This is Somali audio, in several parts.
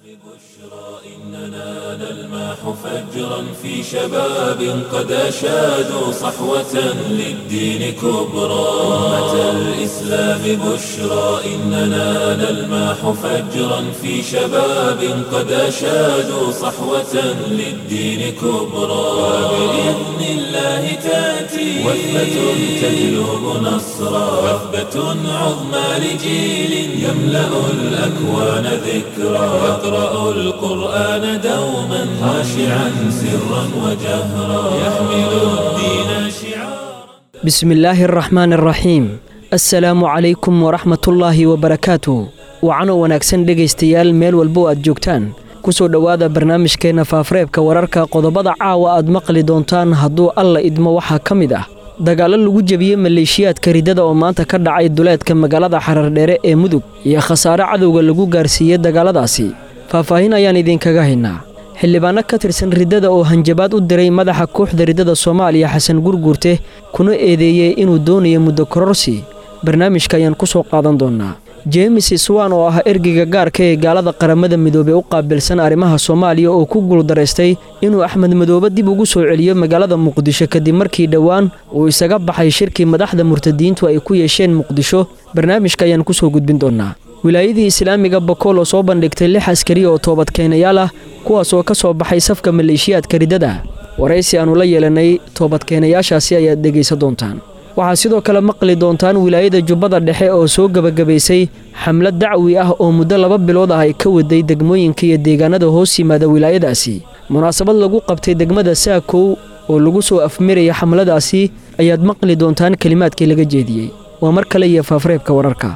إننا نلمح فجرا في شباب قد أشادوا صحوة للدين كبرى. أمة الإسلام بشرى إننا نلمح فجرا في شباب قد أشادوا صحوة للدين كبرى. وبإذن الله تأتي وثبة تجلب نصرا، وثبة عظمى لجيل يملأ الأكوان ذكرى. يقرأ القرآن دوما خاشعا سرا وجهرا يحمل الدين شعارا. بسم الله الرحمن الرحيم. Assalaamu calaykum waraxmatullaahi wabarakaatu. Wacanoo wanaagsan dhegaystayaal, meel walbo aad joogtaan, kusoo dhowaada barnaamijkeenna faafareebka wararka. Qodobada caawa aad maqli doontaan hadduu Alla idmo waxaa ka mid ah dagaallo lagu jebiyey maleeshiyaadka riddada oo maanta ka dhacay duleedka magaalada Xarardheere ee Mudug iyo khasaare cadowga lagu gaarsiiyey dagaaladaasi. Faahfaahin ayaan idinkaga haynaa. Xildhibaano ka tirsan riddada oo hanjabaad u diray madaxa kooxda riddada Soomaaliya Xasan Gurguurte, kuna eedeeyey inuu doonayo muddo kororsi. Barnaamijka ayaan ku soo qaadan doonnaa. James Swan oo ah ergeyga gaarka ee gaalada Qaramada Midoobey u qaabilsan arrimaha Soomaaliya oo ku guuldaraystay inuu Axmed Madoobe dib ugu soo celiyo magaalada Muqdisho kadib markii dhowaan uu isaga baxay shirkii madaxda murtadiintu ay ku yeesheen Muqdisho, barnaamijka ayaan kusoo gudbin doonnaa. Wilaayadii islaamiga Bakool oo soo bandhigtay 6 askari oo toobadkeenayaal ah, kuwaas oo ka soo baxay safka maleeshiyaadka riddada. Waraysi aannu la yeelanay toobadkeenayaashaasi ayaad dhegaysan doontaan. Waxaa sidoo kale maqli doontaan wilaayada Jubbada Dhexe oo soo gebagabaysay xamlad dacwi ah oo muddo 2 bilood ah ay ka waday degmooyinka iyo deegaanada hoos yimaada wilaayadaasi. Munaasabad lagu qabtay degmada Saakow oo lagu soo afmiraya xamladaasi ayaad maqli doontaan kelimaadkii laga jeediyey. Waa mar kale iyo faafareebka wararka.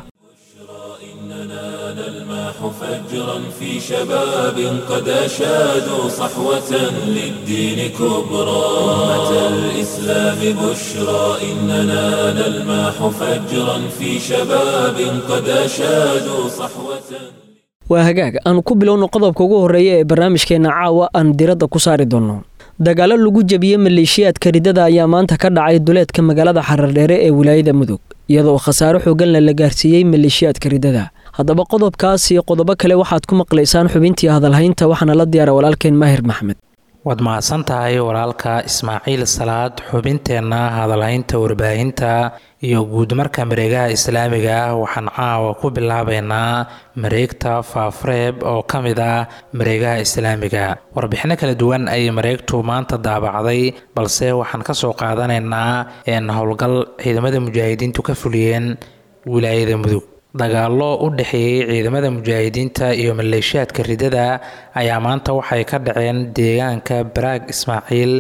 إننا نلمح فجرا في شباب قد أشادوا صحوة للدين كبرى. أمة الإسلام بشرى إننا نلمح فجرا في شباب قد أشادوا صحوة. Waa hagaag, aanu ku bilowno qodobka ugu horreeya ee barnaamijkeenna caawa aan diradda ku saari doonno. Dagaallo lagu jebiyey maleeshiyaadka riddada ayaa maanta ka dhacay duleedka magaalada Xarardheere ee wilaayada Mudug, iyadoo khasaare xooganna la gaarsiiyey maleeshiyaadka riddada. Haddaba qodobkaas iyo qodobo kale waxaad ku maqlaysaan xubintii hadalhaynta, waxaana la diyaara walaalkeen Maahir Maxmed. Waad mahadsan tahay walaalka Ismaaciil Salaad. Xubinteenna hadalhaynta warbaahinta iyo guudmarka mareegaha islaamiga ah waxaan caawa ku bilaabeynaa mareegta Faafreeb oo ka mid ah mareegaha islaamiga. Warbixino kala duwan ayay mareegtu maanta daabacday, balse waxaan kasoo qaadanaynaa howlgal ciidamada mujaahidiintu ka fuliyeen wilaayada Mudug. Dagaallo u dhexeeyey ciidamada mujaahidiinta iyo maleeshiyaadka riddada ayaa maanta waxay ka dhaceen deegaanka Baraag Ismaaciil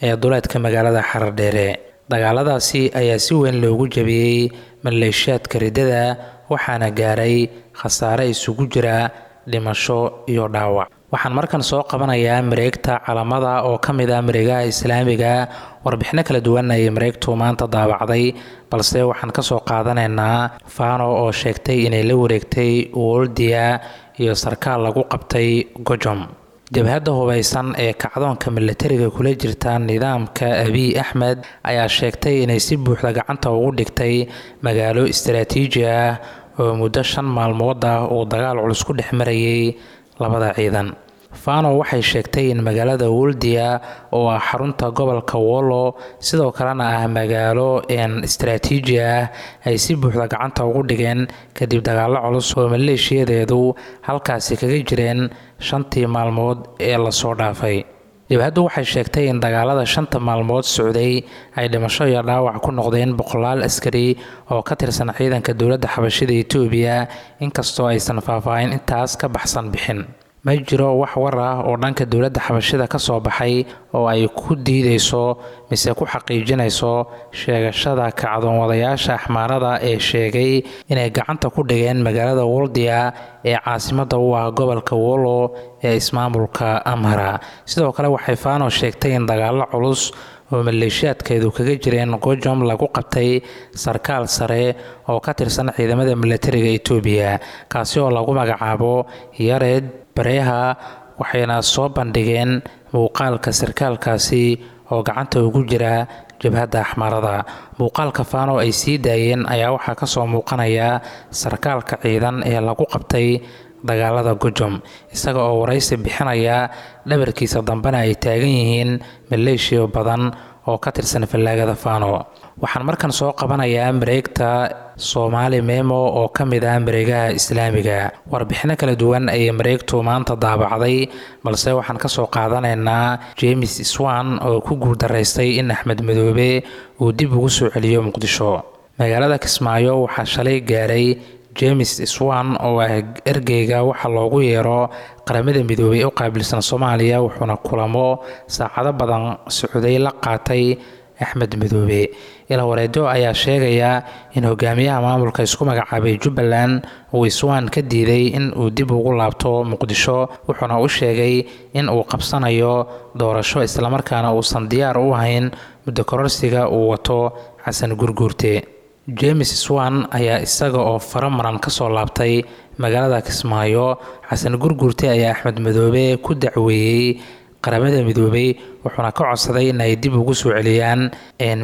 ee duleedka magaalada Xarardheere. Dagaaladaasi ayaa si weyn loogu jabiyey maleeshiyaadka riddada, waxaana gaaray khasaare isugu jira dhimasho iyo dhaawac. Waxaan markan soo qabanayaa mareegta Calamada oo ka mid ah mareegaha islaamiga. Warbixino kala duwan ayay mareegtu maanta daabacday, balse waxaan kasoo qaadanaynaa Fano oo sheegtay inay la wareegtay Woldia iyo sarkaal lagu qabtay Gojom. Jabhadda hubeysan ee kacdoonka milatariga kula jirta nidaamka Abiy Axmed ayaa sheegtay inay si buuxda gacanta ugu dhigtay magaalo istaraatiiji ah oo muddo 5 maalmood ah uu dagaal culus ku dhex marayay labada ciidan. Fano waxay sheegtay in magaalada Woldia oo ah xarunta gobolka Wollo, sidoo kalena ah magaalo istaraatiiji ah, ay si buuxda gacanta ugu dhigeen kadib dagaallo culus oo maleeshiyadeedu halkaasi kaga jireen 5tii maalmood ee lasoo dhaafay. Jabhaddu waxay sheegtay in dagaalada 5ta maalmood socday ay dhimasho iyo dhaawac ku noqdeen boqolaal askari oo ka tirsan ciidanka dowladda xabashida Itoobiya, inkastoo aysan faahfaahin intaas ka baxsan bixin. Ma jiro wax war ah oo dhanka dowladda xabashida ka soo baxay oo ay ku diideyso mise ku xaqiijinayso sheegashada kacdoon wadayaasha axmaarada ee sheegay inay gacanta ku dhigeen magaalada Woldia ee caasimadda u ah gobolka Wollo ee ismaamulka Amhara. Sidoo kale waxay Fano sheegtay in dagaallo culus oo maleeshiyaadkeedu kaga jireen Gojom lagu qabtay sarkaal sare oo ka tirsan ciidamada milatariga Itoobiya, kaasi oo lagu magacaabo Yared Bareha, waxayna soo bandhigeen muuqaalka sarkaalkaasi oo gacanta ugu jira jabhadda axmaarada. Muuqaalka Faano ay sii daayeen ayaa waxaa kasoo muuqanaya sarkaalka ciidan ee lagu qabtay dagaalada Gojom, isaga oo waraysi bixinaya dhabarkiisa dambena ay taagan yihiin maleeshiyo badan oo ka tirsan fallaagada Faano. Waxaan markan soo qabanayaa mareegta Soomaali Memo oo ka mid ah mareegaha islaamiga. Warbixino kala duwan ayay mareegtu maanta daabacday, balse waxaan kasoo qaadanaynaa James Swan oo ku guuldaraystay in Axmed Madoobe uu dib ugu soo celiyo Muqdisho. Magaalada Kismaayo waxaa shalay gaaray James Swan oo ah ergeyga waxa loogu yeero Qaramada Midoobay u qaabilsan Soomaaliya, wuxuuna kulamo saacado badan socday la qaatay Axmed Madoobe. Ilawareedo ayaa sheegaya in hogaamiyaha maamulka isku magacaabay Jubbaland uu Swan ka diiday in uu dib ugu laabto Muqdisho, wuxuuna u sheegay in uu qabsanayo doorasho islamarkaana uusan diyaar u ahayn muddo kororsiga uu wato Xasan Gurguurte. James Swan ayaa isaga oo faramaran kasoo laabtay magaalada Kismaayo. Xasan Gurguurte ayaa Axmed Madoobe ku dacweeyey Qaramada Midoobay, wuxuuna ka codsaday in ay dib ugu soo celiyaan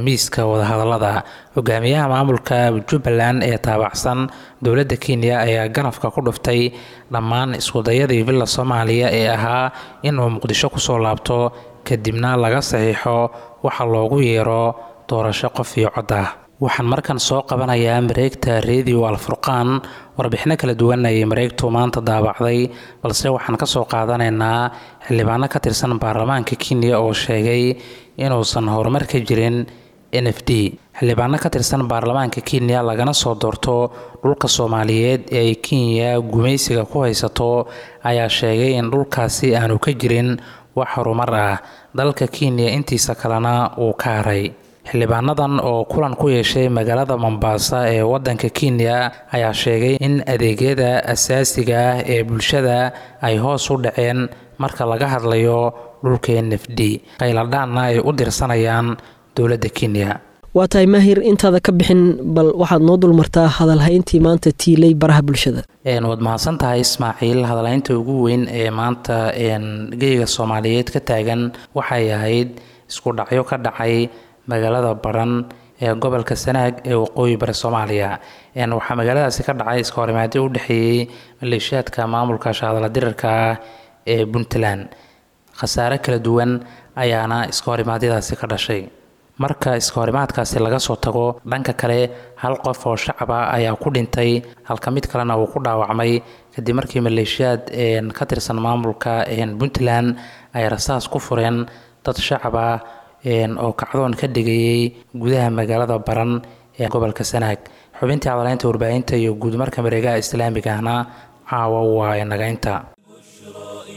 miiska wadahadalada. Hogaamiyaha maamulka Jubbaland ee taabacsan dowladda Kenya ayaa ganafka ku dhuftay dhammaan iskudayadii Villa Soomaaliya ee ahaa inuu Muqdisho kusoo laabto kadibna laga saxiixo waxa loogu yeero doorasho qof iyo cod ah. Waxaan markan soo qabanayaa mareegta Radio Alfurqaan. Warbixino kala duwan ayay mareegtu maanta daabacday, balse waxaan kasoo qaadanaynaa xildhibaano ka tirsan baarlamaanka Kenya oo sheegay inuusan horumar ka jirin NFD. Xildhibaano ka tirsan baarlamaanka Kenya lagana soo doorto dhulka Soomaaliyeed ee ay Kenya gumaysiga ku haysato ayaa sheegay in dhulkaasi aanu ka jirin wax horumar ah, dalka Kenya intiisa kalena uu ka haray. Xildhibaanadan oo kulan ku yeeshay magaalada Mombasa ee wadanka Kenya ayaa sheegay in adeegyada asaasiga ah ee bulshada ay hoos u dhaceen marka laga hadlayo dhulka NFD, qayladhaanna ay u dirsanayaan dowladda Kenya. Waa tahay Maahir, intaada ka bixin bal waxaad noo dulmartaa hadalhayntii maanta tiilay baraha bulshada. Waad mahadsan tahay Ismaaciil. Hadalhaynta ugu weyn ee maanta geyga Soomaaliyeed ka taagan waxay ahayd isku dhacyo ka dhacay magaalada Baran ee gobolka Sanaag ee waqooyi bari Soomaaliya. Waxaa magaaladaasi ka dhacay iska horimaadyo u dhexeeyey maleeshiyaadka maamulka shahadala dirirka ah ee Puntland. Khasaare kala duwan ayaana iska horimaadyadaasi ka dhashay. Marka iska horimaadkaasi laga soo tago, dhanka kale hal qof oo shacab ah ayaa ku dhintay halka mid kalena uu ku dhaawacmay kadib markii maleeshiyaad ka tirsan maamulka Puntland ay rasaas ku fureen dad shacab ah oo kacdoon ka dhigayay gudaha magaalada Baran ee gobolka Sanaag. Xubintii hadaleynta warbaahinta iyo guud marka mareegaha islaamiga ahna caawa waa inagaynta.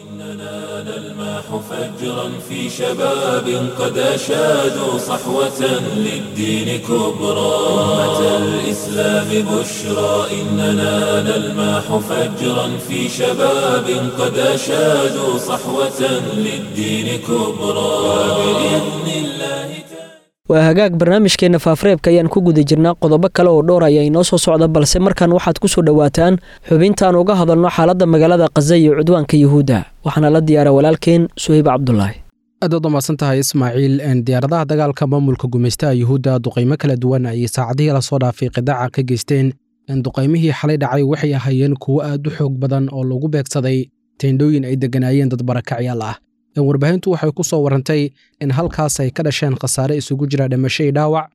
إننا نلمح فجرا في شباب قد أشادوا صحوة للدين كبرى. أمة الإسلام بشرى إننا نلمح فجرا في شباب قد أشادوا صحوة للدين كبرى وبإذن الله تعالى. Waa hagaag, barnaamijkeenna faafareebka ayaan ku guda jirnaa. Qodobo kale oo dhowr ayaa inoo soo socda, balse markan waxaad ku soo dhowaataan xubintaan uga hadalno xaaladda magaalada Khaza iyo cudwaanka Yuhuudda. Waxaana la diyaara walaalkeen Suhayb Cabdulaahi. Aad waad umahadsan tahay Ismaaciil. Diyaaradaha dagaalka maamulka gumaystaha Yuhuudda duqaymo kala duwan ayay saacadihii lasoo dhaafay qidaaca ka geysteen. Duqaymihii xalay dhacay waxay ahaayeen kuwo aad u xoog badan oo lagu beegsaday teendhooyin ay degganaayeen dad barakacyaal ah. Warbaahintu waxay ku soo warantay in halkaas ay ka dhasheen khasaare isugu jira dhimasho iyo dhaawac.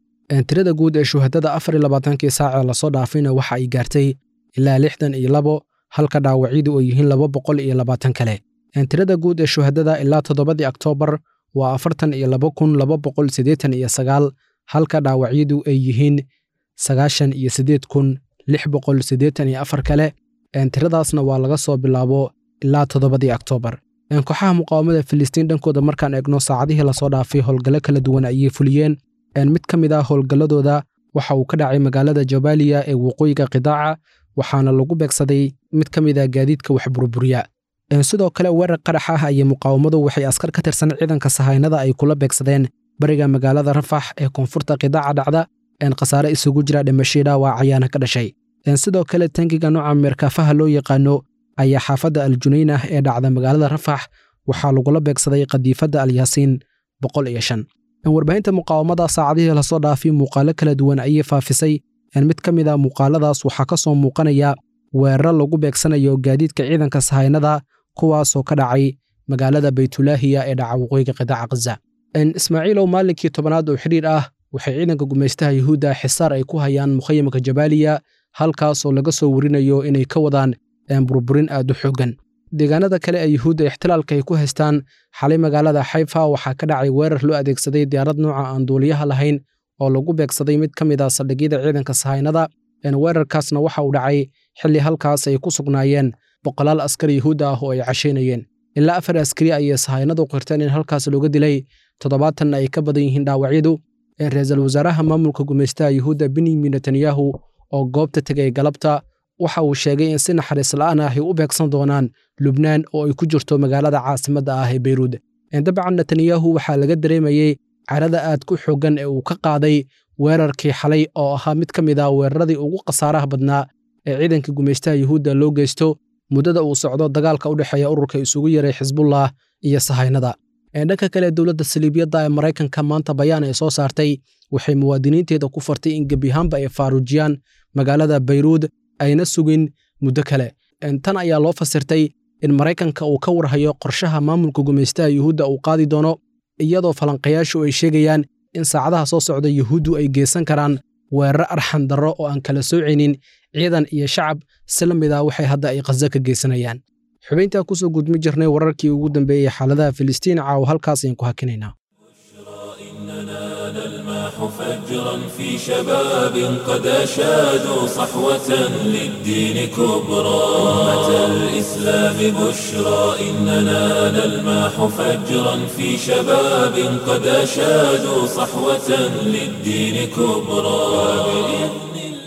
Tirada guud ee shuhadada 24-kii saaca lasoo dhaafayna waxa ay gaartay ilaa 62, halka dhaawacyadu ay yihiin 220 kale. Tirada guud ee shuhadada ilaa 7-dii Oktoobar waa 42,289, halka dhaawacyadu ay yihiin 98,684 kale. Tiradaasna waa laga soo bilaabo ilaa 7-dii Oktoobar. Kooxaha muqaawamada Filistiin dhankooda markaan eegno, saacadihii lasoo dhaafay howlgallo kala duwan ayay fuliyeen. Mid ka mid ah howlgalladooda waxa uu ka dhacay magaalada Jabaaliya ee waqooyiga qidaaca, waxaana lagu beegsaday mid ka mid ah gaadiidka wax burburiya. Sidoo kale weerar qarax ah ayay muqaawamadu waxay askar ka tirsan ciidanka sahaynada ay kula beegsadeen bariga magaalada Rafax ee koonfurta qidaaca dhacda. Khasaare isugu jira dhimashii dhaawac ayaana ka dhashay. Sidoo kale tangiga nooca meerkaafaha loo yaqaano ayaa xaafadda Aljunaynah ee dhacda magaalada Rafax waxaa lagula beegsaday qadiifadda Alyaasiin 105. Warbaahinta muqaawamada saacadihii lasoo dhaafay muuqaalo kala duwan ayay faafisay. Mid ka mid a muuqaaladaas waxaa ka soo muuqanaya weeraro lagu beegsanayo gaadiidka ciidanka sahaynada, kuwaasoo ka dhacay magaalada Baytulaahiya ee dhaca waqooyiga qidaaca Khaza. Ismaaciilow, maalinkii 10aad oo xidhiir ah waxay ciidanka gumaystaha Yuhuudda xisaar ay ku hayaan mukhayamka Jabaaliya, halkaasoo laga soo warinayo inay ka wadaan burburin aad u xooggan. Deegaanada kale ee Yuhuudda ixtilaalka ay ku haystaan, xalay magaalada Xayfa waxaa ka dhacay weerar loo adeegsaday diyaarad nooca aan duuliyaha lahayn oo lagu beegsaday mid ka mid ah saldhigyada ciidanka sahaynada. Weerarkaasna waxa uu dhacay xilli halkaas ay ku sugnaayeen boqolaal askari Yuhuud ah oo ay cashaynayeen. Ilaa 4 askari ayay sahaynadu qirteen in halkaas looga dilay, 70na ay ka badan yihiin dhaawacyadu. Ra-iisul wasaaraha maamulka gumaystaha Yuhuudda Benyamin Netanyahu oo goobta tegay galabta waxa uu sheegay in si naxariis la'aan ah ay u beegsan doonaan Lubnaan oo ay ku jirto magaalada caasimadda ah ee Beyruud. Dabcan Netanyahu waxaa laga dareemayey carada aad ku xooggan ee uu ka qaaday weerarkii xalay oo ahaa mid ka mid ah weeraradii ugu khasaaraha badnaa ee ciidanka gumaystaha Yuhuudda loo geysto muddada uu socdo dagaalka u dhexeeya ururka isugu yeeray Xisbullah iyo sahaynada. Dhanka kale, dowladda saliibiyadda ee Maraykanka maanta bayaan ay soo saartay waxay muwaadiniinteeda ku fartay in gebi ahaanba ay faaruujiyaan magaalada Bayruud ayna sugin muddo kale. Tan ayaa loo fasirtay in Maraykanka uu ka warhayo qorshaha maamulka gumaystaha Yuhuudda uu qaadi doono, iyadoo falanqayaashu ay sheegayaan in saacadaha soo socda Yuhuuddu ay geysan karaan weeraro arxan darro oo aan kala soocaynin ciidan iyo shacab, si la mid ah waxay hadda ay Khaza ka geysanayaan. Xubintaa kusoo gudmi jirnay wararkii ugu dambeeyey xaaladaha Filistiin caawa halkaas ayaan ku hakinaynaa. إننا نلمح فجرا في شباب قد أشادوا صحوة للدين كبرى. أمة الإسلام بشرى إننا نلمح فجرا في شباب قد أشادوا صحوة للدين كبرى. وبإذن الله.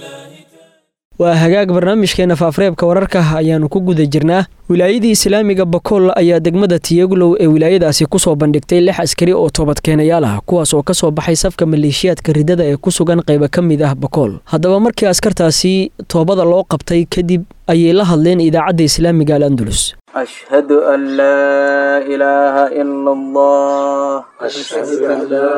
Waa hagaag, barnaamijkeena faafareebka wararka ayaannu ku guda jirnaa. Wilaayadii islaamiga Bakool ayaa degmada Tiyaglow ee wilaayadaasi kusoo bandhigtay 6 askari oo toobadkeenayaal ah, kuwaas oo ka soo baxay safka maleeshiyaadka ridada ee ku sugan qaybo ka mid ah Bakool. Haddaba markii askartaasi toobada loo qabtay kadib ayay la hadleen idaacadda islaamiga Al Andalus. أشهد أن لا إله إلا الله، أشهد أن لا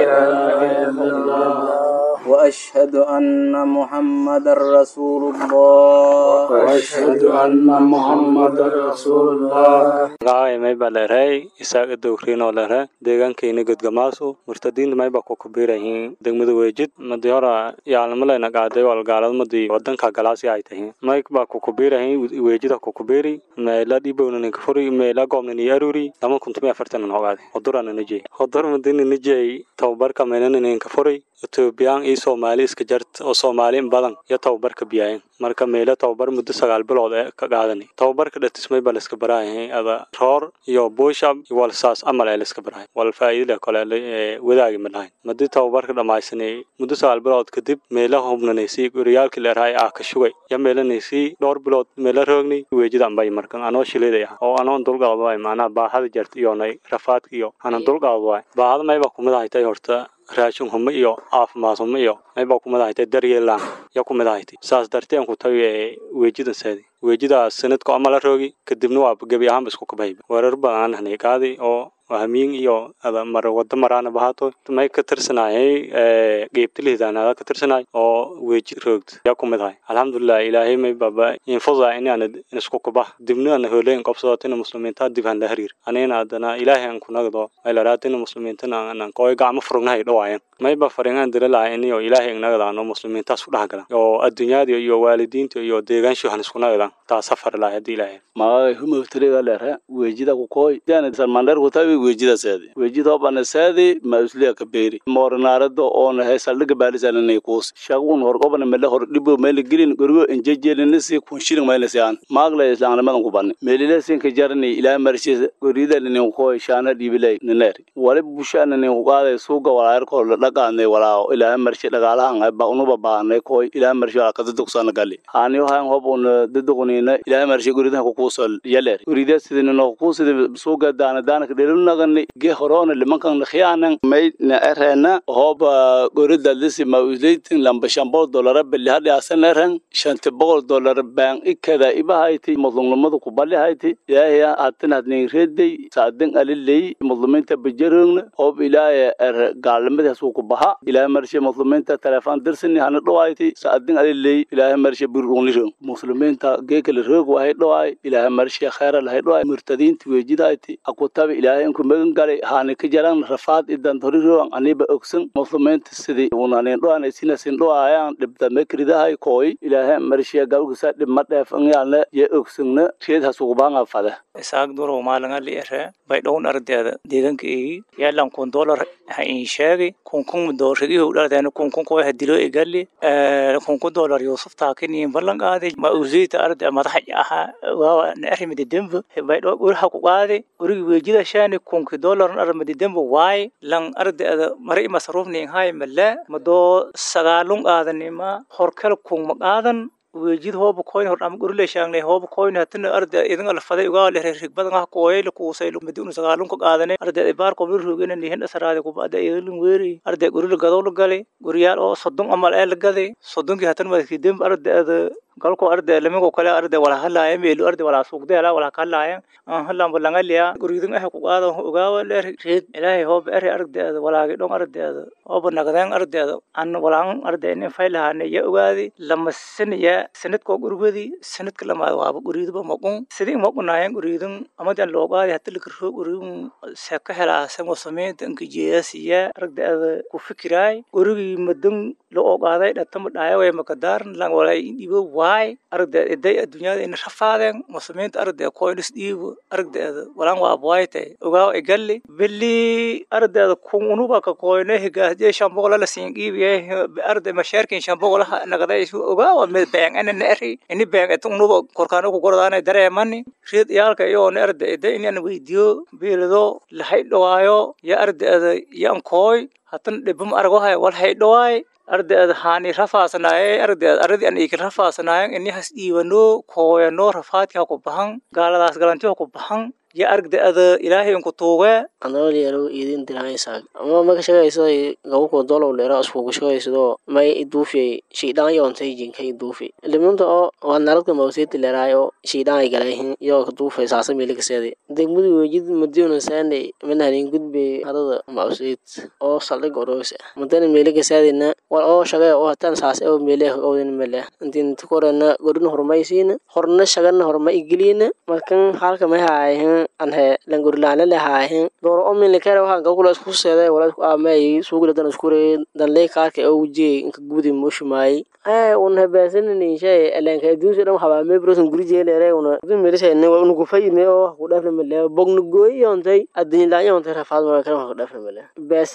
إله إلا الله، وأشهد أن محمد رسول الله، وأشهد أن محمد رسول الله. Magacay mayba leeray Isaac Dowriino leeray, deegaankayna Godgamaaso. Murtadiinta mayba ku kubiirayihiin degmada Weejid. Madii hore yaalmalayna qaaday walgaaladmadii wadanka galaasi ay tahiin mayba ku kubiirayihiin Weejida ku kubiiri meela dhibowna kafuri meela goobna aruri 2040 hogaade hodurana nijey hodur madina nijey tababarka meelana kafuri Etoobiyaan iyo Soomaali iska jart oo Soomaali in badan iyo tababarka biyaayeen. Marka meelo tababar muddo 9 bilood ee ka qaadanay tababarka dhatismay baa la iska baraayay ada roor iyo bushab iyo walsaas amal ee la iska baraayay wal faa'iido kale ee wadaagi ma lahayn. Muddo tababarka dhamaysanay muddo 9 bilood kadib meelaha hubnanaysay guryaalkii la raay ah ka shugay ya meelanaysay dhowr bilood meelo roognay Weejidan bay. Markan anoo shileeday ah oo anoo dulqaad waay macnaha baahada jart iyo nay rafaadka iyo anan dulqaad waay baahada mayba kumid ahay horta raashin humo iyo caafimaad humo iyo mayba kumid ahay daryeel ya kumid ahay. Saas darteen ku tawi Weejidan saadi Weejida sanadku ama la roogi kadibna waa gebi ahaanba isku kabayba weerar badan hanay qaadi oo hamiin iyo ada mar wada maraana bahaato may ka tirsanayay qeybta lihdaanada ka tirsanay oo Weeji roogd ya kumid ahay. Alxamdulilah, Ilaahay may baba infuda in aan isku kabah dibna aan hooleen qabsadatina muslimiinta dib han la xiriir anayna adana Ilaahay aan ku nagdo ay la raatina muslimiintana aan kooy gacmo furugnahay dhawaayeen mayba faringaan dira lahay inayo Ilaahay nagadaano muslimiintaas ku dhax galaan oo adduunyada iyo waalidiinta iyo deegaanshu han isku nagadaan taa safar lahay hadii Ilaahay. Magacay humawtiriga leere Weejida ku kooy dana salmandar ku tawi Weejida seedi Weejida bana seedi ma usliya ka beeri moornaarado oo nahay saldhiga baalisanay kuus shagun hor qobana meel hor dhibo meel gelin gurigo injejeelina si kun shilin meel si aan maagla islaamnimadan ku banay meelile sin ka jarni ilaa marshi gurida nin kooy shaana dhibilay nineer wali bushaana nin qaaday suuga walaayar ko la dhaqaanay walaa ilaa marshi dhaqaalahan ay ba unuba baanay kooy ilaa marshi ka dadugsan gali haani waxaan hob un daduqnina ilaa marshi gurida ku kuusol yaleer gurida sidina no kuusida suuga daana daana ka dhelunagani ge horona limankan khiyaanan may na erena hob gurida lisi ma uslaytin lamba $500 bili hadii asan eren $500 baan ikada ibahayti mudlumnimadu ku balihayti Ilaahay atin hadnin reeday saadin alilay mudluminta bajarugna hob Ilaahay er gaalnimadaas uu ku baha ilaahay marshe muslimiinta telefoon dirsani hana dhawayti saadin alilay ilaahay marshe burunlisho muslimiinta geekal roog wahay dhawaay ilaahay marshe khayr lahay dhawaay murtadiinta wejidayti akutabi ilaahay inku magan galay hana ka jaran rafaad idan toriroan aniba ogsan muslimiinta sidii unaaneen dhawaanay sinasin dhawaayaan dhibda mekridahay kooy ilaahay marshe galgusa dhib ma dheef anyaale ye ogsanna sheed hasuubaanga fada isaag duro maalinga liire bay dhown ardeeda deegaanka eegi yaalan kun dollar ha in sheegi kun kun doorshadii u dhardeen kun kun koo hadilo igali kun kun dollar Yusuf taakin ballan qaaday ma uzeeta arde madax aha waa arrimada dembe bay dhow ur ha ku qaaday urigi weejida shaani kun kun dollar arrimada dembe waay lan ardeeda mari masruufni hay mala madoo sagaalun qaadanima horkal kun ma qaadan weejid hoob koyn hor am gurle shaangnay hoob koyn hatna arda idin alfaday uga leh rig badan ah kooyay la kuusay midun sagaalun ka qaadanay arda ibaar qobil ruugina nihin asraade ku baada idin weeri arda gurle gadow la galay guryaal oo 30 amal ee la gaday 30 ki hatna madkii demb arda galko arda lamigo kale arda wala halaaya meelu arda wala suuqdeela wala kalaaya aan halaan balangaliya gurigin ah ku qaado uga wala reed ilaahay hoob er arda walaagi dhon arda hoob nagdeen arda an walaan arda in faylahaana ya ogaadi lama saniya sanadko gurigadi sanadka lama waaba guriidba maqun sidii maqunaayan guriidin amadan loo qaadi hatta la kirro guriin saka helaa samo sameeyta inka jeesiya arda ku fikiraay gurigi madan loo qaaday dhatama dhaayo way makadaar lan walaa ibo waay arda iday adduunyada in rafaadeen muslimiinta arda koylis dhiibo arda walaan waa waaytay ogaa igalli billi arda kun unuba ka koyne higaasje shamboqol la siin qiibiye arda mashaarkin shamboqol nagaday ogaa waa mid been ana nari ini been et unuba korkaano ku gordaanay dareemani riid yaalka iyo arda iday inaan weydiyo biilado la haydhawaayo ya arda yaan kooy hatan dhibum argo hay wal haydhawaay ardeed haani rafaasnaaye ardeed ardi an ikil rafaasnaayen ini has dhiibano kooyano rafaadki ha ku bahan gaaladaas galanti ha ku bahan ya argdeeda ilaahay inku tuuge anoo idin dirahaysaa ama ma ka shaqayso gabo ko dolow leera isku shaqayso may iduufiyay shiidaan yoontay jinka iduufi limunta oo waa naradka mawsiiti leeraayo shiidaan ay galayhin yoo ka duufay saasa miilikaseedi degmadu weejid madiuna saanay manhalin gudbay hadada mawsiit oo saldhig oroose madana miilikaseedina war oo shaqay oo hatan saas oo miile owdin male intiin tukorana godin horumaysiina horna shaqana horma igiliina markan halka ma haayin anhe langurlaana lahaahin door oo min lekere waxaan gawkula isku seeday wala isku aamay suuqla dan isku reey dan leey kaarka oo wujiyay inka gudi mushmaay ay un hebeesanini shay elenka adduunka dhan waxaa mee brosan guri jeeleere una dun meelisay ne unu ku fayne oo ku dhaafna male bognu gooyontay adduun laa yontay rafaad ma kale wax ku dhaafna male bees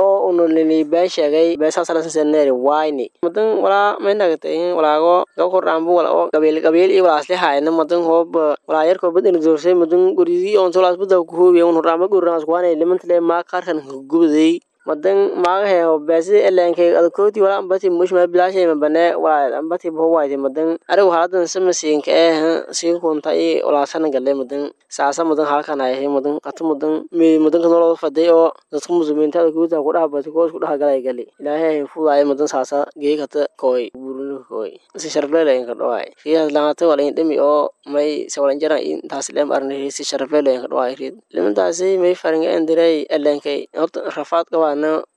oo unu lili been sheegay beesa salasan seneeri wayni madan wala may nagatay walaago gaw kordhaanbu wala oo qabiil qabiil iyo walaas lehaayna madan hoob walaa yarkoo bad ina doorsay madan guridii oon tolaas bada ku hoobiya un horraama gurnaas kuwaanay limantale maa qaarkan gubaday madan maagahe beesi eleenkay adkooti wala ambati mushma bilaashay mabane wala ambati bowaayte madan arigu haladan sama siinka eh siin kunta i walaasana galle madan saasa madan halkan ay madan qatu madan mi madan kan loo faday oo dadka muslimiinta adkoota ku dhaabati koos ku dhagalay gali ilaahay fudaay madan saasa geekata kooy burun kooy si sharfleele in ka dhawaay riyaad laanta wala in dhimi oo may sawalan jara in taas leem arnay si sharfleele in ka dhawaay riid limantaasi may faringa endiray eleenkay horta rafaad qabaa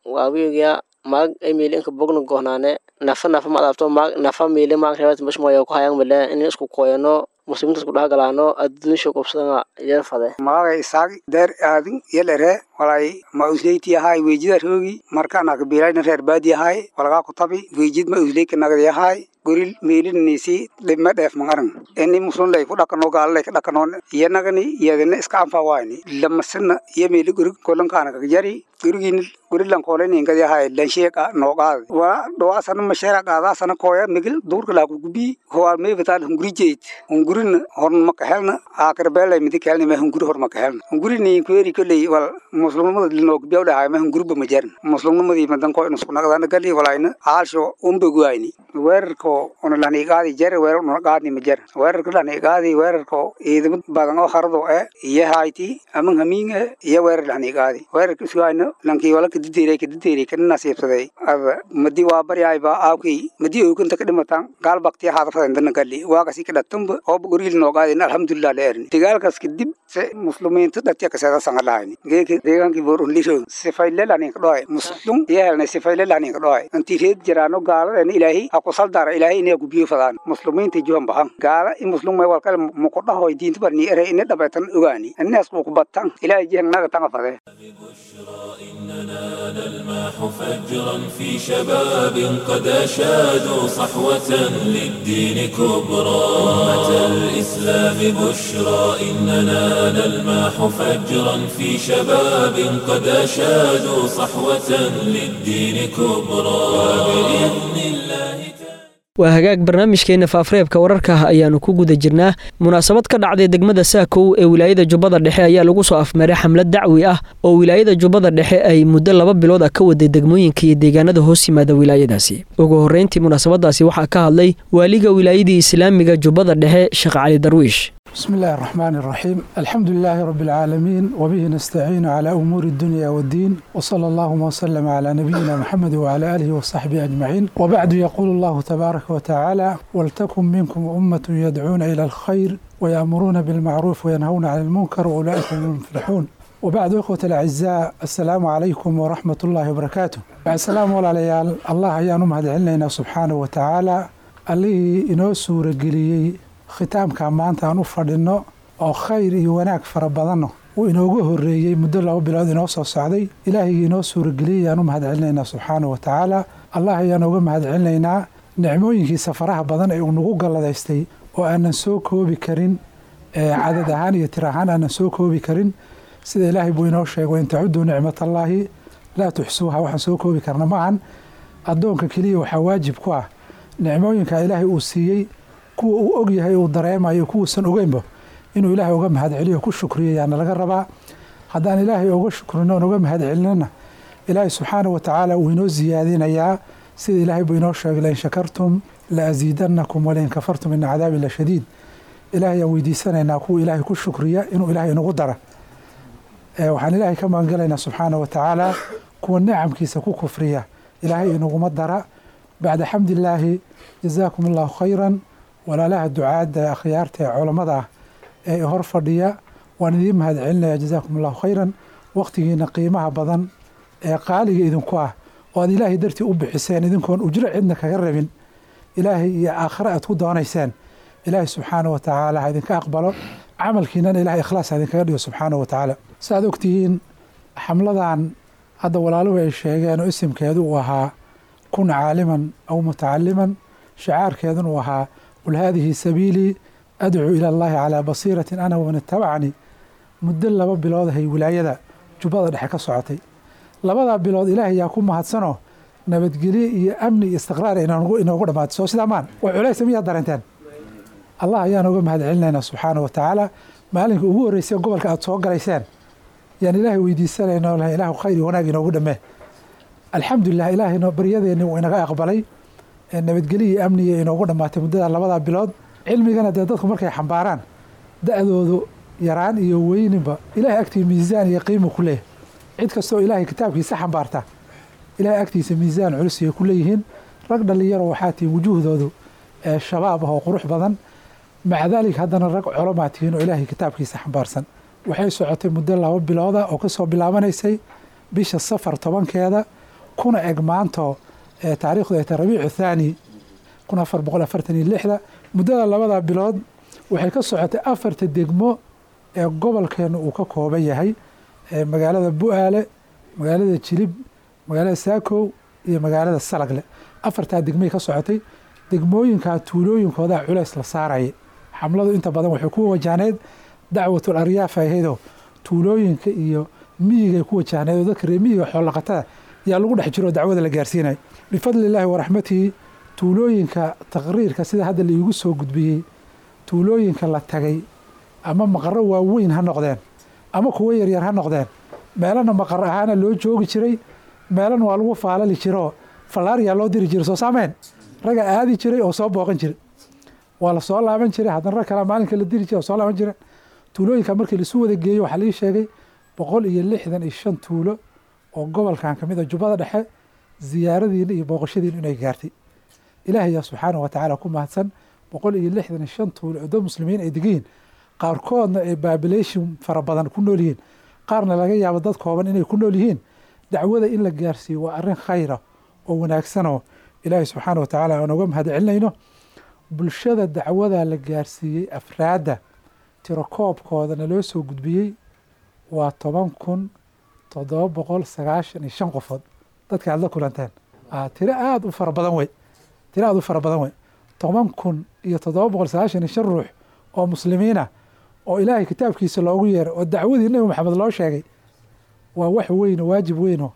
waawiga maag ay miilinka bogna gohnaane nafa nafa ma adaabto maag nafa miile maag reebat mashmooyo ku hayaan male in isku kooyano muslimiinta isku dhexgalaano adduunsha qobsadana yar fade maagay isaag deer aadin yelere walay ma usleyti ahay weejida roogi markaan akbiilayna reer baadi ahay walagaa ku tabi weejid ma usleyka nagadi ahay goril meelinisi dhibma dheef mangaran ini muslim lay ku dhaqano gaal lay ka dhaqano iyanagani iyadana iska anfawaayni lamasina iyo meeli gorig kolankaana kagjari gorigin gorilan koolani ingadi ahay lansheeqa nooqaad wala dhawaasana masheera qaadaasana kooya migil duurka laa kugubi howaal meebataal hunguri jeyd hungurin horn makahelna aakir beelay midi keelni ma hunguri hor makahelna hungurini kueri koley wal muslimnimada linoogubiyaw dhahay ma hunguriba majarin muslimnimadii madan koo inusku naqdana gali walayna aalsho umbeguayni weerarko una lahniiqaadi jare weerar una qaadni ma jar weerarka lahniiqaadi weerarko ciidamo badan oo harado eh iyo hayti aman hamiin eh iyo weerar lahniiqaadi weerarka isugayna Lankii wala kadideeray kadideeray kana nasiibsaday ada madi waa baryaayba aawkii madi ookunta ka dhimataan gaal baktiya haadafada intana gali waagasi ka dhatanba ooba goriil noogaadin alxamdulilah la erni dagaalkaas kadib se muslimiinta dhatiya kaseeda sangalahayni geeka deegaankii boor unlisho sifaylelanin kadhoay muslum iyahelna sifaylelanin kadhoay intii reed jiraano gaaladeen ilaahi ha kusaldara ilaahi inay gubiyo fadaan muslimiinta juhan bahan gaala in muslum may walkale muqudhahoy diinta barni ere ina dhabaytan ogaani innaas kuqubatan ilaahi jihannaga tanga fade. إننا نلمح فجرا في شباب قد أشادوا صحوة للدين كبرى. أمة الإسلام بشرى إننا نلمح فجرا في شباب قد أشادوا صحوة للدين كبرى وبإذن الله. Waa hagaag, barnaamijkeenna faafareebka wararka ayaannu ku guda jirnaa. Munaasabad ka dhacday degmada Saakow ee wilaayada Jubbada Dhexe ayaa lagu soo afmaray xamlad dacwi ah oo wilaayada Jubbada Dhexe ay muddo 2 bilood ah ka waday degmooyinka iyo deegaanada hoos yimaada wilaayadaasi. Ugu horreyntii munaasabadaasi waxaa ka hadlay waaliga wilaayadii islaamiga Jubbada Dhexe, Sheekh Cali Darwiish. بسم الله الرحمن الرحيم، الحمد لله رب العالمين، وبه نستعين على أمور الدنيا والدين، وصلى اللهم وسلم على نبينا محمد وعلى آله وصحبه أجمعين، وبعد. يقول الله تبارك وتعالى: ولتكن منكم أمة يدعون إلى الخير ويأمرون بالمعروف وينهون عن المنكر وأولئك هم المفلحون. وبعد، إخوة الأعزاء، السلام عليكم ورحمة الله وبركاته. السلام على الله أيان مهد سبحانه وتعالى اللي إنو سورة قليي khitaamka maanta aan u fadhinno oo khayr iyo wanaag fara badanno uu inooga horreeyey muddo 2 bilood inoo soo socday. Ilaahayga inoo suurageliyey ayaan u mahad celinaynaa subxaana wa tacaala. Allah ayaan uga mahad celinaynaa nicmooyinkiisa faraha badan ee uu nagu galladaystay oo aanan soo koobi karin, cadad ahaan iyo tir ahaan aanan soo koobi karin. Sida Ilaahay buu inoo sheegay: in tacuduu nicmatallaahi laa tuxsuuha. Waxaan soo koobi karna maahan. Addoonka keliya waxaa waajib ku ah nicmooyinka Ilaahay uu siiyey, kuwa uu og yahay uu dareemayo, kuwuusan ogeynba, inuu Ilaahay uga mahad celiyo, ku shukriyo yaana laga rabaa. Haddaan Ilaahay uga shukrino oon uga mahad celinana, Ilaahay subxaana wa tacaala wuu inoo siyaadinayaa. Sida Ilaahay buu inoo sheegay: lain shakartum la asiidannakum walain kafartum ina cadaabi la shadiid. Ilaahay aan weydiisanaynaa kuwa Ilaahay ku shukriya inuu Ilaahay inagu dara. Waxaan Ilaahay ka magangalaynaa subxaana wa tacaala kuwa nicamkiisa ku kufriya Ilaahay inaguma dara. Bacda xamdilaahi, jazaakum allahu khayran. Walaalaha ducaadda, akhyaarta ee culammada ah ee hor fadhiya, waan idiin mahad celinaya. Jazaakum allahu khayran. Waqtigiina qiimaha badan ee qaaliga idinku ah oo aad Ilaahay dartii u bixiseen, idinkoon ujro cidna kaga rabin, Ilaahay iyo aakhare aad ku doonayseen, Ilaahay subxaana wa tacaala ha idinka aqbalo camalkiinana, Ilahay ikhlaas ha idinkaga dhigo subxaana wa tacaala. Saaad ogtihiin, xamladan hadda walaaluhu ay sheegeen oo isimkeedu uu ahaa kun caaliman aw mutacaliman, shicaarkeeduna uu ahaa qul haadihi sabiilii adcuu ila allahi calaa basiiratin ana waman itabacanii, muddo 2 bilood ahay wilaayada Jubbada Dhexe ka socotay. 2-daa bilood Ilaahay yaa ku mahadsanoo nabadgelye iyo amni iyo istiqraar inoogu dhammaatay. Soo sidaa maan wax culaysa miyaad dareenteen? Allah ayaan uga mahad celinaynaa subxaana wa tacaala. Maalinka ugu horreysay gobolka aad soo galayseen yaan Ilaahay weydiisanayna lahay: Ilaahu khayr iyo wanaag inoogu dhammee. Alxamdulilah, Ilaahay baryadeenni wuu inaga aqbalay, nabadgelyo iyo amniga inoogu dhammaatay muddada 2-daa bilood. Cilmigana dee dadku markay xambaaraan, da-doodu yaraan iyo weyninba, Ilahay agtii miisaan iyo qiimu ku leeyahay. Cid kastoo Ilaahay kitaabkiisa xambaarta, Ilahay agtiisa miisaan culus ay ku leeyihiin. Rag dhalinyaro waxaa tihiin wujuuhdoodu ee shabaab ah oo qurux badan, maca daalik haddana rag culamaa tihiin oo Ilaahay kitaabkiisa xambaarsan. Waxay socotay muddo 2 bilooda oo kasoo bilaabanaysay bisha Safar 10-keeda kuna eg maanto taariikhdu ay tahay Rabiicu Thaani 1446-da. Muddada 2-da bilood waxay ka socotay 4-ta degmo ee gobolkeenu uu ka kooban yahay: magaalada Bu-aale, magaalada Jilib, magaalada Saakow iyo magaalada Salagle. 4-taa degmay ka socotay. Degmooyinkaa tuulooyinkoodaa culays la saarayay. Xamladu inta badan waxay ku wajahneyd dacwatul aryaaf ahaydoo tuulooyinka iyo miyigay ku wajahneyd, oo dadka reer miyiga xoolaqatada yaa lagu dhex jiro dacwada la gaarsiinaya. Bifadli illaahi waraxmatihi, tuulooyinka taqriirka sida hadda la iigu soo gudbiyey, tuulooyinka la tagay ama maqaro waaweyn ha noqdeen ama kuwo yaryar ha noqdeen, meelana maqar ahaana loo joogi jiray, meelana waa lagu faalali jiroo fallaariyaa loo diri jiray. Soo saameen raga aadi jiray oo soo booqan jiray, waa la soo laaban jiray, haddana rag kalaa maalinka la diri jiray oo soo laaban jiray. Tuulooyinka markii laisu wada geeyo, waxaa lii sheegay 165 tuulo Oo gobolkan ka mid a, Jubbada Dhexe, ziyaaradiina iyo booqashadiina inay gaartay. Ilaahay yaa subxaanahu wa tacaala ku mahadsan. 165 tuulo oo dad muslimiin ay degan yihiin, qaarkoodna ay population fara badan ku nool yihiin, qaarna laga yaabo dad kooban inay ku nool yihiin, dacwada in la gaarsiiyo waa arrin khayra oo wanaagsanoo Ilaahay subxaana wa tacaala aan uga mahad celinayno. Bulshada dacwada la gaarsiiyey, afraadda tirakoobkoodana loo soo gudbiyey, waa 10,795 qofood. Dadka aad la kulanteen tiro aada u fara badan wey, tiro aada u fara badan wey. 10,795 ruux oo muslimiina oo Ilaahay kitaabkiisa loogu yeeray oo dacwadii Nebi Maxamed loo sheegay, waa wax weyn oo waajib weynoo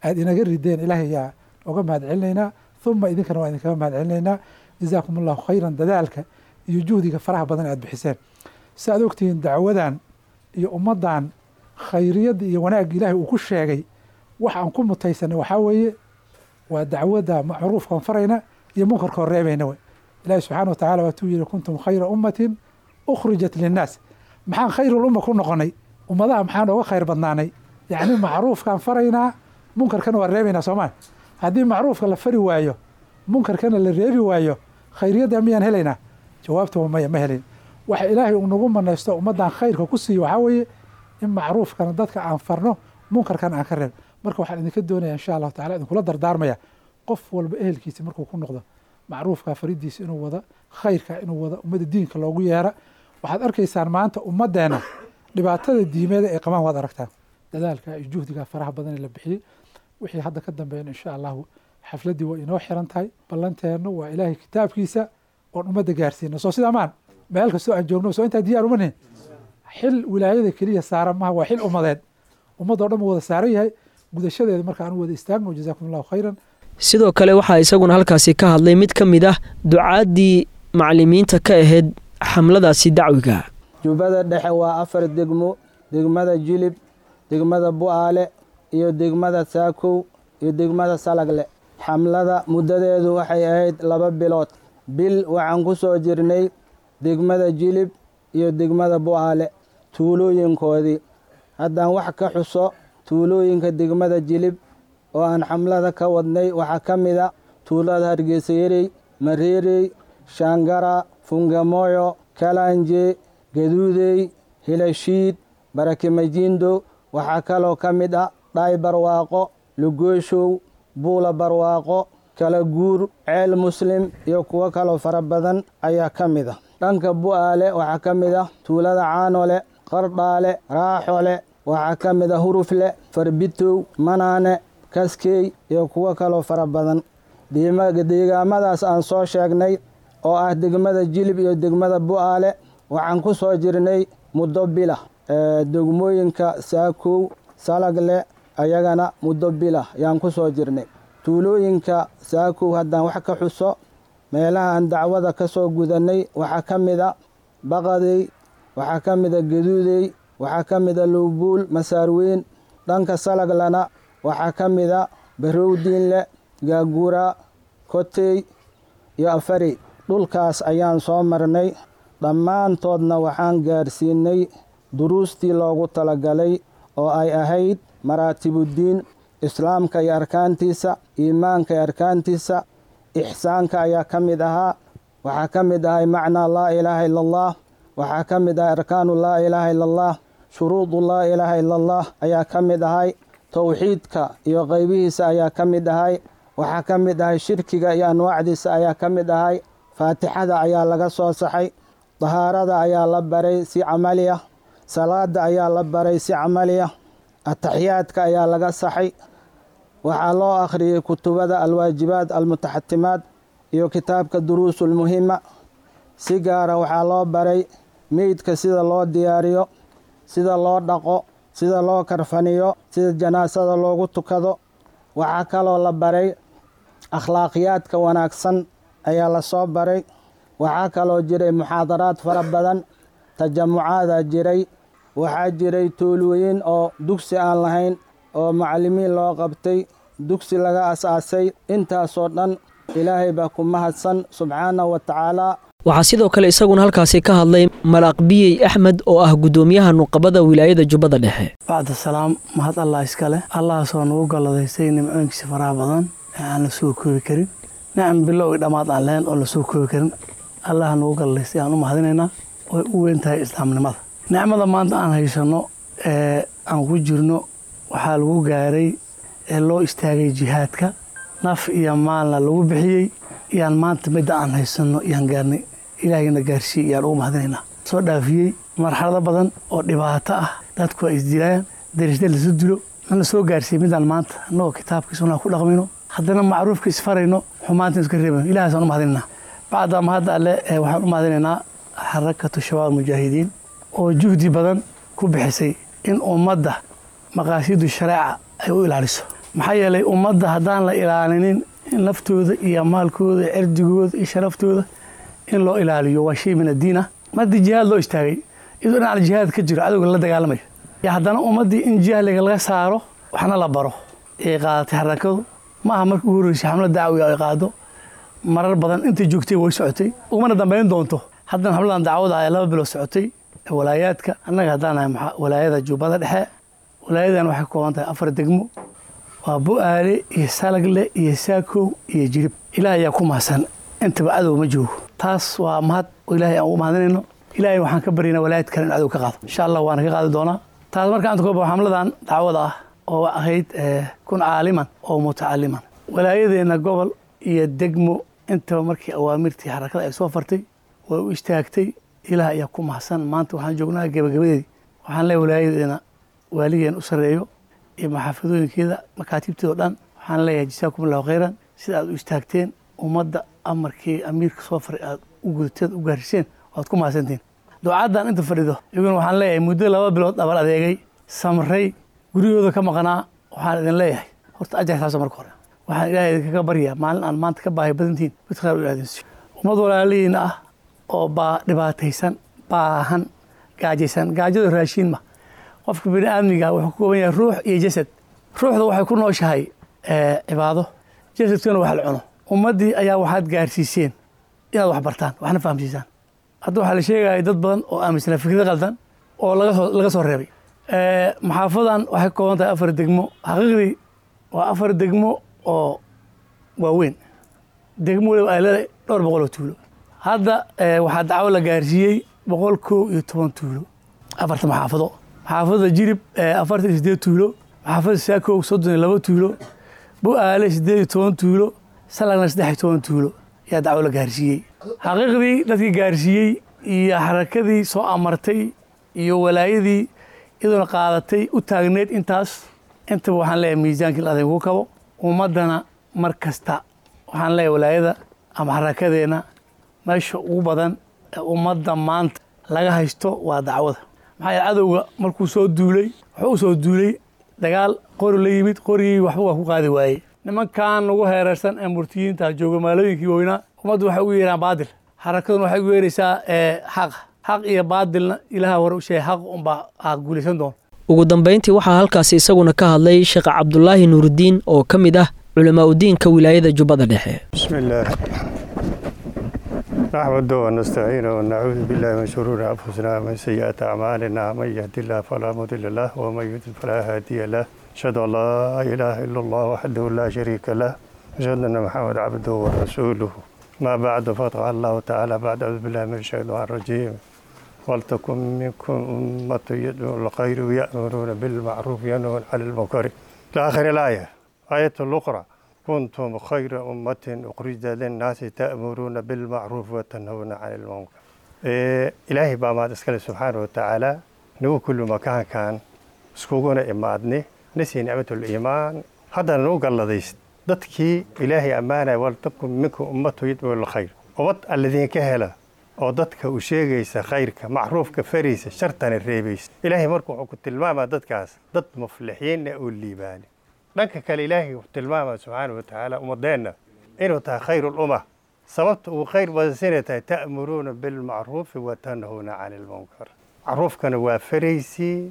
aada inaga rideen. Ilaahay yaa oga mahad celinaynaa, uma idinkana waa idinkaga mahad celinaynaa. Jazaakum Allahu khayran dadaalka iyo juhdiga faraha badan aad bixiseen. Si aad ogtihiin, dacwadan iyo ummaddan khayriyadda iyo wanaagga Ilaahay uu ku sheegay, wax aan ku mutaysanay waxaa weeye waa dacwadda macruufkaan farayna iyo munkarkoon reebayna wey. Ilahi subxaana wa tacala waatuu yihi: "Kuntum khayra ummatin ukhrijat linnaas." Maxaan khayrul umma ku noqonay? Ummadaha maxaan oga khayr badnaanay? Yacni macruufkaan faraynaa, munkarkana waa reebaynaa, soomaa? Haddii macruufka la fari waayo, munkarkana la reebi waayo, khayriyadda miyaan helaynaa? Jawaabta waa maya, ma helayn. Waxa Ilaahay uu nagu manaysto, ummaddan khayrka ku siiyo, waxaa weeye in macruufkana dadka aan farno, munkarkana aan ka reeb. Marka waxaan idinka doonaya, insha Allahu tacala, idinkula dardaarmaya, qof walba ehelkiisa markuu ku noqdo macruufka faridiisa inuu wada, khayrka inuu wada, ummadda diinka loogu yeera. Waxaad arkaysaan maanta ummaddeena dhibaatada diimeeda ay qabaan, waad aragtaan dadaalka iyo juhdiga faraha badan ee la bixiyey. Wixii hadda ka dambeeyana, insha Allahu, xafladdii waa inoo xiran tahay. Ballanteennu waa Ilaahay kitaabkiisa oon ummadda gaarsiino. Soo sidaa maan? Meel kastoo aan joogno, soo intaa diyaar uma nihin? Xil wilaayada keliya saaran maha, waa xil ummadeed, ummadoo dhan wada saaran yahay gudashadeeda. Marka aan u wada istaagno. Jazaakum Allahu khayran. Sidoo kale waxaa isaguna halkaasi ka hadlay mid ka mid ah ducaaddii macallimiinta ka ahayd xamladaasi dacwiga. Jubbada Dhexe waa afar degmo: degmada Jilib, degmada Bu'aale iyo degmada Saakow iyo degmada Salagle. Xamlada muddadeedu waxay ahayd 2 bilood. Bil waxaan ku soo jirnay degmada Jilib iyo degmada Bu'aale tuulooyinkoodii. Haddaan wax ka xuso tuulooyinka degmada Jilib oo aan xamlada ka wadnay, waxaa ka mid a tuulada Hargeysayerey, Mareerey, Shaangara, Fungamoyo, Kalanje, Gaduudey, Hilashiid, Barakimajindo. Waxaa kaloo ka mid ah Dhaay Barwaaqo, Lugooshow, Buula Barwaaqo, Kala Guur, Ceel Muslim iyo kuwo kaloo fara badan ayaa ka mid ah. Dhanka Bu'aale waxaa ka mid ah tuulada Caanole, Qardhaale, Raaxole. Waxaa ka mid ah Hurufle, Farbitow, Manaane, Kaskey iyo kuwo kaloo fara badan. Deegaamadaas aan soo sheegnay oo ah degmada Jilib iyo degmada Bu'aale waxaan ku soo jirnay muddo bila. Degmooyinka Saakow, Salagle ayagana muddo bila yaan ku soo jirnay. Tuulooyinka Saakow haddaan wax ka xuso, meelaha aan dacwada ka soo gudannay waxaa ka mid a Baqadey, waxaa ka mid a Gaduudey, waxaa ka mid a Luubuul, Masaarweyn. Dhanka Salaglana waxaa ka mid a Barowdiinle, Gaagura, Kotey iyo Afarey. Dhulkaas ayaan soo marnay, dhammaantoodna waxaan gaarsiinay duruustii loogu talagalay oo ay ahayd maraatibuddiin, islaamka iyo arkaantiisa, iimaanka iyo arkaantiisa, ixsaanka ayaa ka mid ahaa. Waxaa ka mid ahay macnaa laa ilaaha ila Allah, waxaa ka mid ahay arkaanu laa ilaaha ila Allah, shuruudu laa ilaaha ila Allah ayaa ka mid ahay, towxiidka iyo qaybihiisa ayaa ka mid ahay, waxaa ka mid ahay shirkiga iyo anwaacdiisa ayaa ka mid ahay, faatixada ayaa laga soo saxay, dahaarada ayaa la baray si camali ah, salaada ayaa la baray si camali ah, ataxiyaadka ayaa laga saxay. Waxaa loo akhriyey kutubada alwaajibaat almutaxatimaat iyo kitaabka duruusulmuhima. Si gaara waxaa loo baray meydka sida loo diyaariyo, sida loo dhaqo, sida loo karfaniyo, sida janaasada loogu tukado. Waxaa kaloo la baray akhlaaqiyaadka wanaagsan ayaa lasoo baray. Waxaa kaloo jiray muxaadaraad fara badan, tajamucaadaa jiray. Waxaa jiray tuulooyin oo dugsi aan lahayn oo macallimiin loo qabtay, dugsi laga asaasay. Intaasoo dhan Ilaahay baa ku mahadsan subxaanahu wa tacaala. Waxaa sidoo kale isaguna halkaasi ka hadlay Malaaq Biyey Axmed oo ah guddoomiyaha nuqabada wilaayada Jubbada Dhexe. Bacda salaam, mahad Allah iskale, Allahaasoo nagu galladaystay nimcooyinkiisa faraha badan ee aan la soo koobi karin, nicam bilow i dhammaad aan lahayn oo la soo koobi karin. Allaha nagu galladaystay aan u mahadinaynaa, way u weyn tahay islaamnimada. Nicmada maanta aan haysanno ee aan ku jirno waxaa lagu gaaray ee loo istaagay jihaadka, naf iyo maalna lagu bixiyey, iyaan maanta midda aan haysanno iyaan gaarnay. Ilaahayna gaarsiiye iyaan ugu mahadinaynaa. Soo dhaafiyey marxalado badan oo dhibaato ah, dadku ay isdilayaan, darishda lasu dilo, na soo gaarsiiyey midaan maanta annagoo kitaabkii sunnaha ku dhaqmayno, haddana macruufka isfarayno, xumaanta iska reebayno. Ilahaasaan u mahadinaynaa. Bacda mahadda alle, waxaan u mahadinaynaa Xarakatu Shabaab Mujaahidiin oo juhdi badan ku bixisay in ummadda maqaasidu shareeca ay u ilaaliso. Maxaa yeelay, ummadda haddaan la ilaalinin, in laftooda iyo maalkooda, cirdigooda iyo sharaftooda in loo ilaaliyo waa shay min addiin ah. Mardi jihaad loo istaagay, iyadoo dhinaca jihaad ka jiro, cadowga la dagaalamayo, iyo haddana ummaddii in jahliga laga saaro waxna la baro ay qaadatay xarakadu. Ma aha markii ugu horreysay xamlad dacwiga ay qaado, marar badan intay joogtay way socotay, ugumana dambayn doonto. Haddana xamladan dacwada ee 2 bilood socotay walaayaadka, annaga haddaan nahay walaayada Jubbada Dhexe, walaayadan waxay ka kooban tahay 4 degmo, waa Bu'aale iyo Salagle iyo Saakow iyo Jilib. Ilaah ayaa ku mahadsan, intaba cadow ma joogo. Taas waa mahad oo Ilaahay aan ugu mahadinayno. Ilaahay waxaan ka baryaynaa walaayad kale in cadow ka qaado, insha Allah waana ka qaadi doonaa. Taas marka aan koobo xamladan dacwada ah oo ahayd kun caaliman oo mutacaliman, walaayadeenna gobol iyo degmo intaba markii awaamirtii xarakada ay soo fartay way u istaagtay. Ilaah ayaa ku mahadsan, maanta waxaan joognaa gebagabadeedii. Waxaan leeyahay walaayadeena waaligeen u sarreeyo iyo maxaafadooyinkeeda, makaatiibteeda o dhan, waxaan leeyahay jasaakum allahu khayran, sida aad u istaagteen ummadda amarkii amiirka soo faray aad u gudateen, u gaariseen, waad ku mahadsantiin. Ducaaddan inta fadhido iyaguna waxaan leeyahay muddo 2 bilood dhabar adeegay, samray, guryahooda ka maqnaa, waxaan idin leeyahay horta ajar taasa. Marka hore waxaan Ilaahay idinkaga baryaa maalin aan maanta ka baahi badantihiin mid khayr u ilaadin siiyo. Ummad walaalihiina ah oo baa dhibaataysan, baahan, gaajaysan. Gaajadu raashiin ma. Qofka bini aadmiga wuxuu ka kooban yahay ruux iyo jasad. Ruuxda waxay ku nooshahay cibaado, jasadkuna wax la cuno. Ummaddii ayaa waxaad gaarsiiseen inaad wax bartaan, waxna fahamsiisaan. Hadda waxaa la sheegaya dad badan oo aaminsanaa fikrad qaldan oo laga soo reebay. Maxaafadan waxay ka kooban tahay 4 degmo. Xaqiiqdii waa 4 degmo oo waaweyn, degmo waliba ay leedahay dhowr boqol oo tuulo. Hadda waxaa dacwo la gaarsiiyey 111 tuulo afarta maxaafado. Maxaafadda Jirib 48 tuulo, maxaafadda Saakow 32 tuulo, Bu'aale 18 tuulo, Salagna 13 tuulo ayaa dacwo la gaarsiiyey. Xaqiiqdii dadkii gaarsiiyey iyo xarakadii soo amartay iyo walaayadii iyadoona qaadatay u taagneyd intaas intaba, waxaan leeyahay miisaankii la adinku kabo. Ummaddana mar kasta waxaan leeyahay walaayada ama xarakadeenna, meesha ugu badan ee ummadda maanta laga haysto waa dacwada. Maxaa yeele, cadowga markuu soo duulay wuxuu u soo duulay dagaal, qori la yimid, qorigii waxba waa ku qaadi waayey. Nimankan nagu heerarsan ee murtiyiinta jooga magaalooyinkii waaweynaa, ummaddu waxay ugu yeeraan baadil, xarakaduna waxay ugu yeeraysaa xaqa. Xaq iyo baadilna Ilaha hore u sheegay, xaq unbaa aa guulaysan doona. Ugu dambayntii waxaa halkaasi isaguna ka hadlay Sheekh Cabdulaahi Nuurudiin oo ka mid ah culamaa udiinka wilaayada Jubbada Dhexe. بسم الله، نحمده ونستعينه ونعوذ بالله من شرور أنفسنا ومن سيئات أعمالنا، من يهد الله فلا مضل له ومن يضلل فلا هادي له، أشهد أن لا إله إلا الله وحده لا شريك له، أشهد أن محمد عبده ورسوله. ما بعد، فقد الله تعالى بعد أعوذ بالله من الشيطان الرجيم: ولتكن منكم أمة يدعون الخير ويأمرون بالمعروف وينهون عن المنكر إلى آخر الآية. آية الأخرى: كنتم خير أمة أخرجت للناس تأمرون بالمعروف وتنهون عن المنكر. إلهي baa mahad iskale subxaana wa tacaala, nagu kulli makaankan iskuguna imaadni, nasii nicmat liimaan, haddana nagu galladayst dadkii Ilaahay ammaanaya: waltakun minkum ummatu yadcuu lilkhayr. Ummad alladinka hela oo dadka u sheegaysa khayrka, macruufka faraysa, shartana reebaysa. Ilaahay marka wuxuu ku tilmaamaa dadkaas dad muflixiinna oo liibaani. Dhanka kale Ilaahay wuxuu tilmaamaa subxaana wa tacaala ummadeenna inuu tahay khayr ulumma. Sababta uu khayr badansinay tahay: ta'muruuna bilmacruufi wa tanhuuna cani lmunkar. Macruufkana waa faraysii,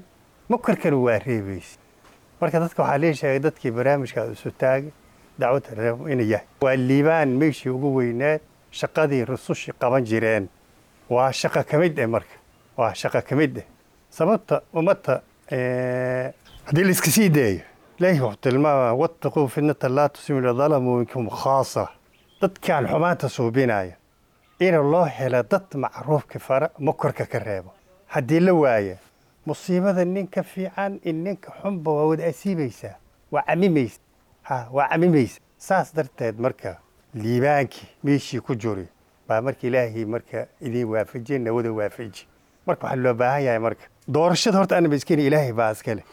munkarkana waa reebaysi. Marka dadka waxaa lee sheegay dadkii barnaamijkaas isu taagay dacwadda reeb inuu yahay waa liibaan meeshii ugu weynaad. Shaqadii rusushii qaban jireen waa shaqo ka mid eh. Marka waa shaqo ka mid eh. Sababta ummadda haddii la iska sii daayo, Ilaahi wuxuu tilmaamaa: "Wattaquu fitnata laa tusiibu dalamuu minkum khaasa." Dadkan xumaanta suubinaya in loo helo dad macruufka fara, mukarka ka reebo. Haddii la waaya, musiibada ninka fiican in ninka xunba waa wada asiibaysaa, waa camimaysa, ha waa camimaysa. Saas darteed marka liibaankii meeshii ku juri baa marka Ilaahay marka idin waafajiye, nawada waafaji. Marka waxaa loo baahan yahay marka doorashada horta anaba iskeni, Ilaahay baa iskale.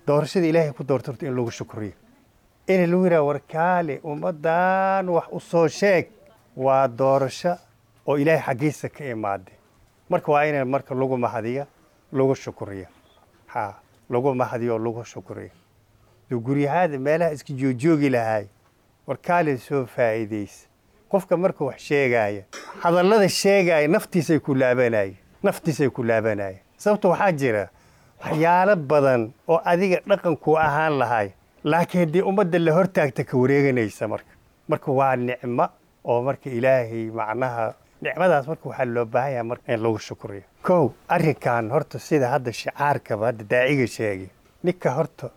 Doorashada Ilaahay ku doorto horta in lagu shukriyo, in lagu yidhaha: "Warkaale, ummaddan wax u soo sheeg." Waa doorasho oo Ilaahay xaggiisa ka imaaday. Marka waa in marka lagu mahadiya, lagu shukriyo, ha lagu mahadiyo oo lagu shukriyo. Dee guryahaada meelaha iska joojoogi lahaay, warkaale soo faa'iidaysa. Qofka marka wax sheegaya, hadallada sheegaya naftiisay ku laabanaya, naftiisay ku laabanaya. Sababta waxaa jira waxyaalo badan oo adiga dhaqankuu ahaan lahay, laakiin haddii ummadda la hortaagta ka wareeganaysa. Marka waa nicmo oo marka Ilaahay macnaha nicmadaas marka waxaa loo baahan yahay marka in lagu shukriyo. Kow, arrinkan horta sida hadda shicaarkaba hadda daaciga sheegay ninka horta